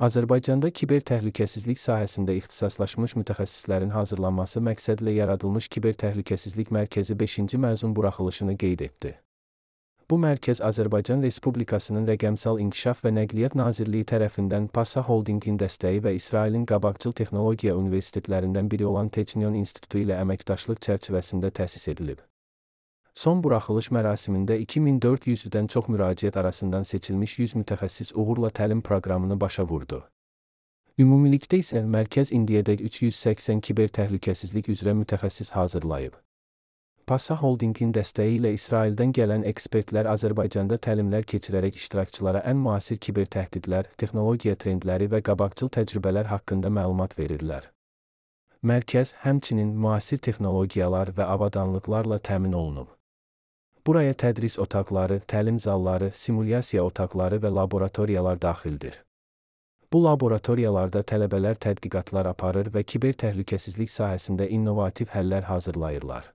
Azərbaycanda kiber təhlükəsizlik sahəsində ixtisaslaşmış mütəxəssislərin hazırlanması məqsədlə yaradılmış Kiber Təhlükəsizlik Mərkəzi 5-ci məzun buraxılışını qeyd etdi. Bu mərkəz Azərbaycan Respublikasının Rəqəmsal İnkişaf və Nəqliyyat Nazirliyi tərəfindən PASA Holdingin dəstəyi və İsrailin Qabaqcıl Texnologiya Universitetlərindən biri olan Technion İnstitutu ilə əməkdaşlıq çərçivəsində təsis edilib. Son buraxılış mərasimində 2400-dən çox müraciət arasından seçilmiş 100 mütəxəssis uğurla təlim proqramını başa vurdu. Ümumilikdə isə mərkəz indiyədək 380 kiber təhlükəsizlik üzrə mütəxəssis hazırlayıb. PASA Holdingin dəstəyi ilə İsraildən gələn ekspertlər Azərbaycanda təlimlər keçirərək iştirakçılara ən müasir kiber təhdidlər, texnologiya trendləri və qabaqcıl təcrübələr haqqında məlumat verirlər. Mərkəz həmçinin müasir texnologiyalar və avadanlıqlarla təmin olunub. Buraya tədris otaqları, təlim zalları, simulyasiya otaqları və laboratoriyalar daxildir. Bu laboratoriyalarda tələbələr tədqiqatlar aparır və kiber təhlükəsizlik sahəsində innovativ həllər hazırlayırlar.